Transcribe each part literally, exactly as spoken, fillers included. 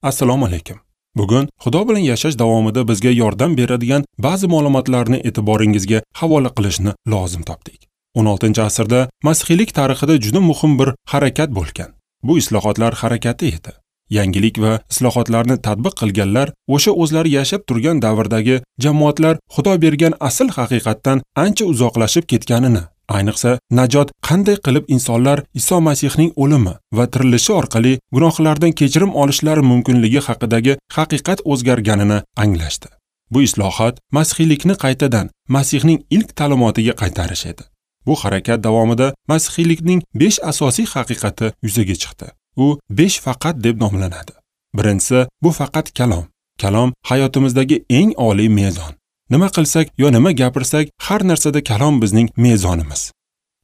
Assalomu alaykum. Bugun Xudo bilan yashash davomida bizga yordam beradigan ba'zi ma'lumotlarni e'tiboringizga havola qilishni lozim topdik. o'n oltinchi asrda masihiylik tarixida juda muhim bir harakat bo'lgan. Bu islohotlar harakati edi. Yangilik va islohotlarni tatbiq qilganlar o'sha o'zlari yashab turgan davrdagi jamoatlar Xudo bergan asl haqiqatdan ancha uzoqlashib ketganini, ayniqsa najot qanday qilib insonlar Iso Masihning o'limi va tirilishi orqali gunohlardan kechirim olishlari mumkinligi haqidagi haqiqat o'zgarganini anglashdi. Bu islohot masihiylikni qaytadan Masihning ilk ta'limotiga qaytarish edi. Bu harakat davomida masihiylikning besh asosiy haqiqati yuzaga chiqdi. U besh faqat deb nomlanadi. Birinchisi, bu faqat kalom. Kalom hayotimizdagi eng oliy mezon. Nima qilsak yo nima gapirsak, har narsada kalom bizning mezonimiz.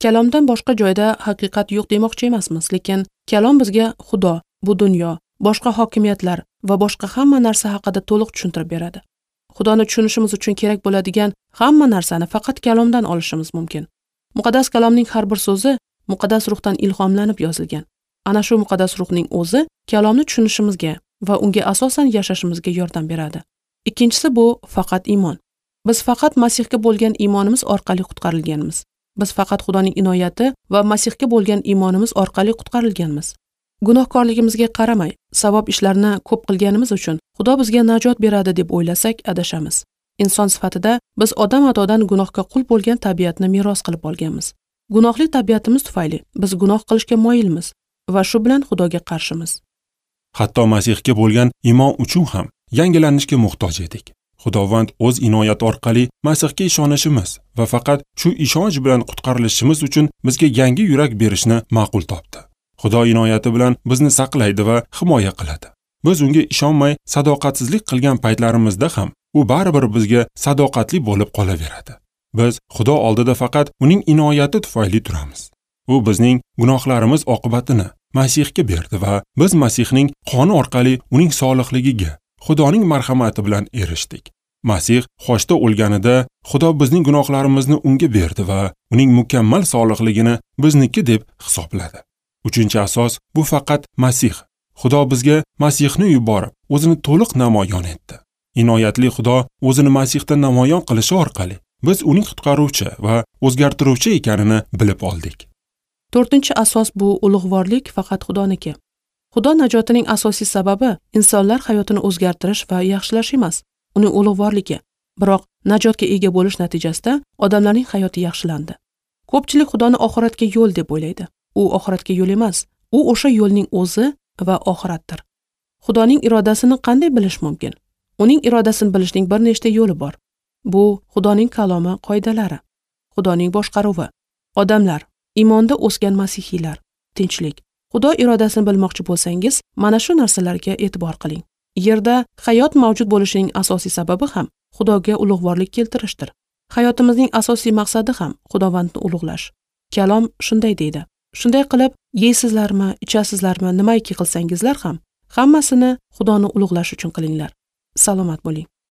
Kalomdan boshqa joyda haqiqat yo'q demoqchi emasmiz, lekin kalom bizga Xudo, bu dunyo, boshqa hokimiyatlar va boshqa hamma narsa haqida to'liq tushuntirib beradi. Xudoni tushunishimiz uchun kerak bo'ladigan hamma narsani faqat kalomdan olishimiz mumkin. Muqaddas kalomning har bir so'zi muqaddas ruhdan ilhomlanib yozilgan. Ana shu muqaddas ruhning o'zi kalomni tushunishimizga va unga asosan yashashimizga yordam beradi. Ikkinchisi, bu faqat iymon. Biz faqat Masihga bo'lgan iymonimiz orqali qutqarilganmiz. Biz faqat Xudoning inoyati va Masihga bo'lgan iymonimiz orqali qutqarilganmiz. Gunohkorligimizga qaramay, savob ishlarni ko'p qilganimiz uchun Xudo bizga najot beradi deb o'ylasak, adashamiz. Inson sifatida biz odam atodan gunohga qul bo'lgan tabiatni meros qilib olganmiz. Gunohli tabiatimiz tufayli biz gunoh qilishga moyilmiz va shu bilan Xudoga qarshimiz. Hatto Masihga bo'lgan iymon uchun ham yangilanishga muhtoj edik. Xudovand o'z inoyati orqali Masihga ishonishimiz va faqat shu ishonch bilan qutqarilishimiz uchun bizga yangi yurak berishni ma'qul topdi. Xudo inoyati bilan bizni saqlaydi va himoya qiladi. Biz unga ishonmay sadoqatsizlik qilgan paytlarimizda ham u baribir bizga sadoqatli bo'lib qolaveradi. Biz Xudo oldida faqat uning inoyati tufayli turamiz. U bizning gunohlarimiz oqibatini Masihga berdi va biz Masihning qoni orqali uning solihligiga, Xudoning marhamati bilan erishdik. Masih xochda o'lganida Xudo bizning gunohlarimizni unga berdi va uning mukammal solihligini bizniki deb hisobladi. Uchinchi asos, bu faqat Masih. Xudo bizga Masihni yuborib, o'zini to'liq namoyon etdi. Inoyatli Xudo o'zini Masihda namoyon qilishi orqali biz uning qutqaruvchi va o'zgartiruvchi ekanini bilib oldik. To'rtinchi asos, bu ulug'vorlik faqat Xudoniki. Xudo najotining asosiy sababi insonlar hayotini o'zgartirish va yaxshilash emas, uning ulug'vorligi. Biroq najotga ega bo'lish natijasida odamlarning hayoti yaxshilandi. Ko'pchilik Xudoni oxiratga yo'l deb o'ylaydi. U oxiratga yo'l emas, u o'sha yo'lning o'zi va oxiratdir. Xudoning irodasini qanday bilish mumkin? Uning irodasini bilishning bir nechta yo'li bor. Bu Xudoning kalomi qoidalari, Xudoning boshqaruvi, odamlar, iymonda o'sgan masihiylar, tinchlik. Xudo irodasini bilmoqchi bo'lsangiz, mana shu narsalarga e'tibor qiling. Yerda hayot mavjud bo'lishining asosiy sababi ham Xudoga ulug'vorlik keltirishdir. Hayotimizning asosiy maqsadi ham Xudovandni ulug'lash. Kalom shunday deydi: Shunday qilib, yeysizlarmi, ichasizlarmi, nimaiki qilsangizlar ham, hammasini Xudoni ulug'lash uchun qilinglar. Salomat bo'ling.